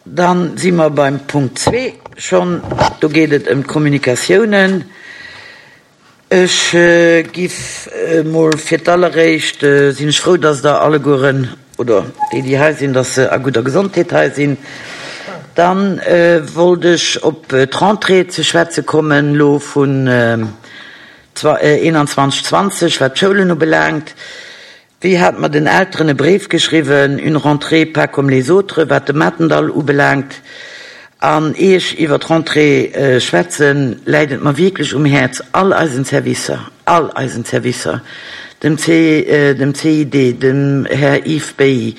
Dann si mer beim Punkt zwee schonn. Do geet et ëm d'Kommunikatiounen. Ech giff emol fir d'alleréischt, sinn ech frou, dass Der allegueren, oder déi, déi hei sinn, dass se a gudder Gesondheet hei sinn. Dann wollt ech op d'Rentrée ze schwätze kommen, elo vun 21, 20, wat d'Schoulen ubelaangt. Wéi hat mer den Elteren e Bréif geschriwwen, une rentrée pas comme les autres, wat de Matendall ubelaangt. An ier ech iwwer d'Rentrée schwätzen, läit et mer wierklech um Häerz, all eisen Servicer, all eisen Servicer, dem dem CID, dem Här Yves Bailly,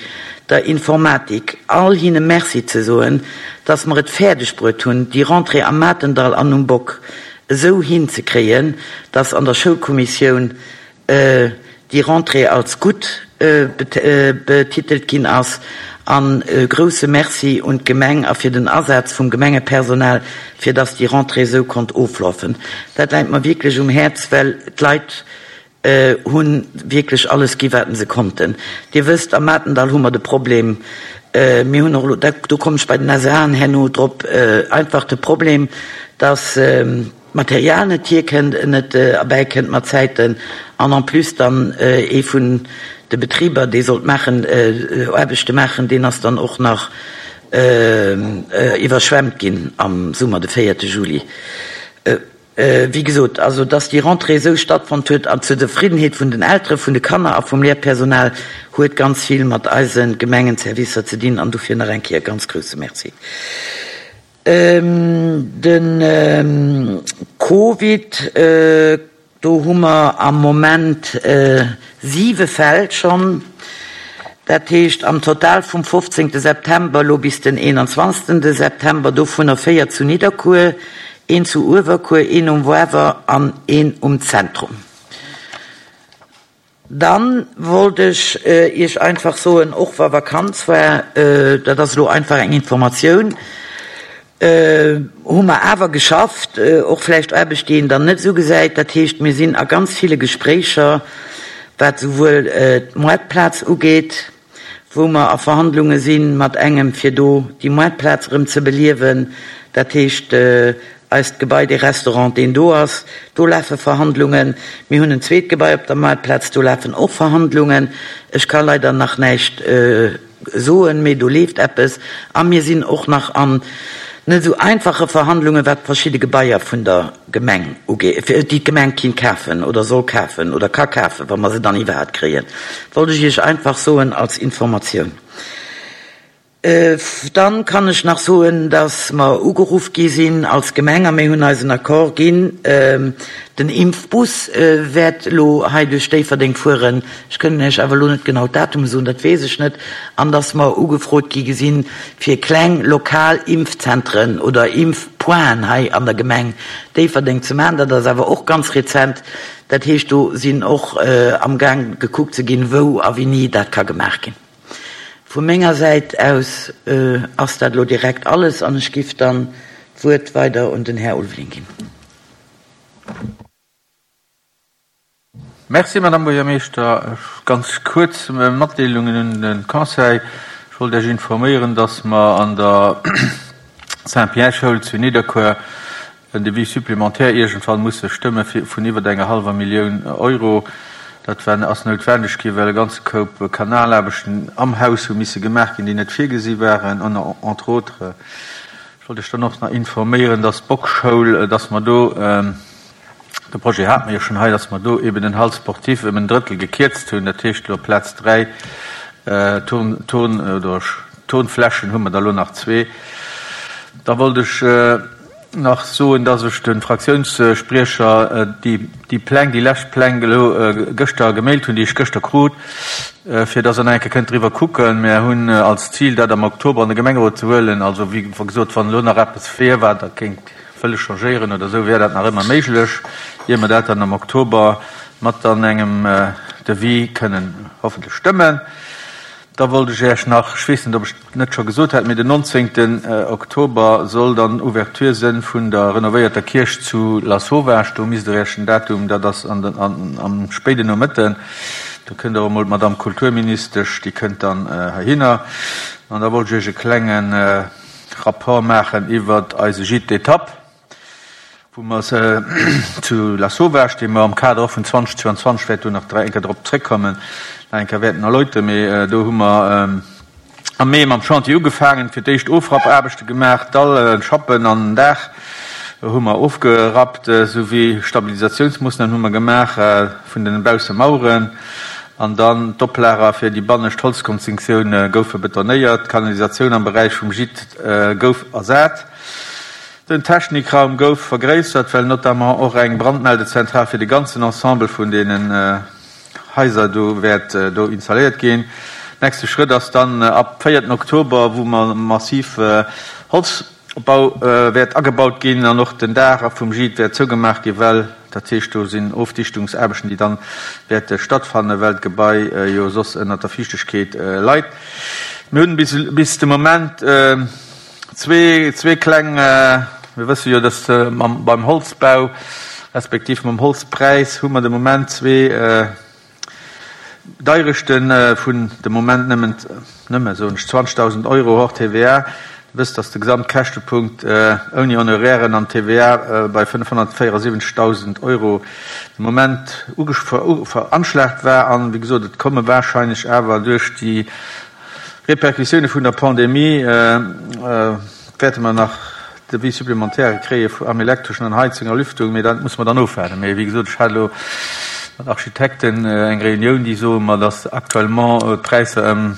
der Informatik, all hinne Merci ze soen, dass mer et fäerdeg bruet hunn, déi Rentrée am Matendall an um Bock esou hinzekréien, dass an der Schoulkommissioun déi Rentrée als gutt betitelt ginn ass. An e grouse Merci un d'Gemeng a fir den Asaz vum Gemengepersonal, fir dass déi Rentrée esou konnt oflafen. Dat läit mer wierklech um Häerz, well d'Leit hu wierklech alles gi wat se konnten. Dir wësst, am Matendall hu mer de Problem, mir hunn och elo, do kommen ech bei den SAen herno drop, einfach de Problem, dass, d'Material net hierkënnt, net erbäikënnt mat Zäiten an en plus dann ee vun de Betriber, dee sollt maachen, Aarbechte maachen, deen ass dann och nach iwwerschwemmt ginn am Summer, de véierte Juli. Wéi gesot, also dass déi Rentrée esou stattfonnt huet an zur Zefriddenheet vun den Eltere, vun de Kanner a vum Lehrpersonal, huet ganz vill mat eise Gemengenservicer ze dinn an dofir nach eng Kéier ganz grouse Merci. De Covid, do hu mer am Moment siwe Fäll schonn. Dat heescht am Total vum 15 September elo bis den 21 September, dovunner 4 zu Nidderkuer, een zu Uewerkuer, een um Woarwer an een um Zentrum. Dann wollt ech Iech einfach soen, och wa Vakanz war, dat ass elo einfach eng Informatioun, hu mer awer geschafft, och vläicht Aarbecht, déi een dann net esou gesäit. Dat heescht, mir sinn a ganz ville Gespréicher, wat souwuel d'Moartplaz ugeet, wou mer a Verhandlunge si mat engem, fir do déi Moartplaz erëm ze beliewen, dat heescht eist Gebai, dee Restaurant, deen do ass, do lafe Verhandlungen. Mir hunn en zweet Gebai op der Moartplaz, do lafen och Verhandlungen. Ech ka leider nach näischt soen, mee do leeft eppes. A mir sinn och nach an net esou einfache Verhandlungen, wat verschidde Gebaier vun der Gemeng ugeet, déi d'Gemeng kinnt kafen oder soll kafen oder ka kafen, wa mer se dann iwwerhaapt kréien, wollt ech Iech einfach soen als Informatioun. Dann kann ech nach soen, dass mer ugeruff gi sinn als Gemeng a mir hunn eisen Accord ginn, den Impfbus wäert elo hei duerch Déifferdeng fueren, ech kënnen Iech awer elo net genau d'Datume soen, dat weess ech net, an dass mer ugefrot gi gesinn, fir kleng lokal Impfzentren oder Impfpointen hei an der Gemeng Déifferdeng ze maachen. Dat ass awer och ganz rezent. Dat heescht, do sinn och amgaang gekuckt ze ginn, wou a wéini dat ka gemaach ginn. Vu menger Säit aus ass dat elo direkt alles an ech giff dann d'Wuert weider un den Här Ulveling ginn. Merci, Madame Buergermeeschter. Ganz kuerz Matdeelungen un de Conseil. Ech wollt Iech informéieren, dass mer an der Saint-Pierre-Schoul zu Nidderkuer en Devis supplémentaire iergendwann musse stëmme vun iwwer enger hallwer Millioun Euro. Dat war, ass noutwendeg ginn, well e ganze Koup Kanalaarbechten am Haus hu misse gemaach ginn, déi net virgesi waren, entre autres. Ech wollt Iech dann och nach informéieren, dass d'Bockschoul, dass mer do, De Projet hate mer jo schonn hei, dass mer do eben den Hall sportif ëm en Drëttel gekierzt hunn. Dat heescht elo aplaz 3 Turn, Turn oder Turnflächen hu mer der elo nach zwee. Da wollt ech nach soen, dass ech de Fraktiounsspriecher déi, déi Pläng, déi lescht Pläng elo gëschter gemailt hunn, déi ech gëschter krut, fir dass Der nach eng Kéier kënnt driwwer kucken. Mer hunn als Zil, dat am Oktober an de Gemengerot ze huelen. Also, wéi gesot, wann elo nach eppes wier, wat Der kéint wëlle changéieren oder esou, wär dat nach ëmmer méiglech, ier mer dat dann am Oktober mat dann engem Devis kënnen hoffentlech stëmmen. Da wollt ech Iech nach, ech weess net, ob ech et net scho gesot hat, mee den 19. Oktober soll dann Ouverture sënn vun der renovéierter Kierch zu Lasauvage. Do misst Der Iech den Datum, dat ass an den, am spéiden Nomëtten, do kënnt och emol d'Madame Kulturministesch, déi kënnt dann heihinner. An da wollt ech Iech e klengen. Rapport maachen iwwert eise Gîte d'étape, wou mer zu Lasauvage, dee mer am Kader och vun 2022, wäert do nach eng Kéier drop zréckkommen, nach eng Kéier wäerten erläuteren. Mee do hu mer am Mee mam Chantier ugefaangen, fir d'éischt Ofrappaarbechte gemaach, Dall, Schappen an den Daach hu mer ofgerappt, souwéi Stabilisatiounsmoossnamen hu mer gemaach vun den Baussemaueren an dann d'Oplager fir déi bannescht Holzkonstruktioun goufe betonéiert, d'Kanalisatioun am Beräich vum Gîte gouf ersat. Den Technikraum gouf vergréissert, well notamment och eng Brandmeldezentral fir de ganzen Ensemble vun deenen Haiser do wäert do installéiert ginn. Nächste Schrëtt ass dann ab véierten Oktober, wou mer massiv Holzbau wäert agebaut ginn an och den Daach vum Gîte wäert zougemaach ginn, well dat heescht do sinn Ofdichtungsaarbechten, déi dann wäerte stattfannen, well d'Gebai jo soss ënnert der Fiichtegkeet leit. Mir hunn bis de Moment Zwee kleng, mir wësse jo, dass mam, beim Holzbau respektiv mam Holzpräis hu mer de Moment zwee Deirechte vun de Moment nëmmen, nëmme soen ech, 20.000 Euro hors TVA. Dir wësst, dass de Gesamtkäschtepunkt ouni Honorairen an TVA bei 574.000 Euro de Moment veranschlagt war. An, wéi gesot, et komme wahrscheinlech awer duerch déi Repercussioune vun der Pandemie wäerte mer nach Devis supplémentaire kréie am Elektreschen, an Heizung a Lüftung, mee dat musse mer dann ofwaarden. Mee wéi gesot, ech hat elo mat Architekten eng Reunioun, déi soe mer, datt actuellement d'Präisser ëm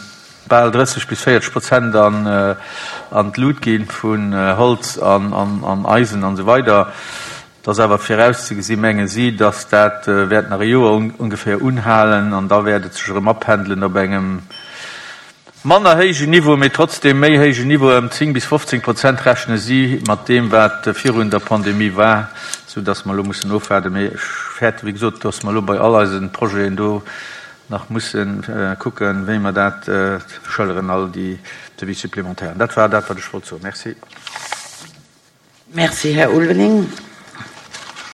bal 30 bis 40 Prozent an d'Lut gi vun Holz an Eisen an esou weider. Et ass awer virauszegesi menge si, datt dat wäert nach e Joer ongeféier unhalen an da wäert et sech erëm apendelen op engem manner héijen Niveau, mee trotzdeem méi héijen Niveau, ëm 10 bis 15 Prozent rechne si mat deem, wat virun der Pandemie war, soudatt mer elo mussen ofwaarden. Mee ech fäerte wéi gesot, datt mer elo bei all eise Projeten do nach musse kucken, wéi mer dat schëlleren, all déi Devis supplémentairen. Dat war dat, wat ech wollt soen. Merci. Merci, Här Ulveling.